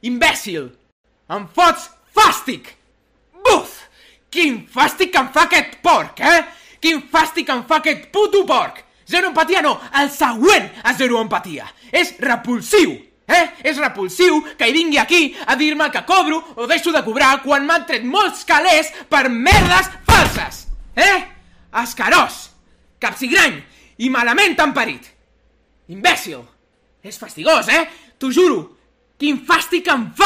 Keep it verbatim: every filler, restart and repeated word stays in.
Imbècil! Em fots fàstic! Buf! Quin fàstic que em fa aquest porc, eh? Quin fàstic que em fa aquest puto porc! Zero empatia no, el següent a zero empatia. És repulsiu, eh? És repulsiu que hi vingui aquí a dir-me que cobro o deixo de cobrar quan m'han tret molts calés per merdes falses, eh? Escarós, capsigrany i malament temperit. Imbècil! És fastigós, eh? T'ho juro! Quin fàstic em fa!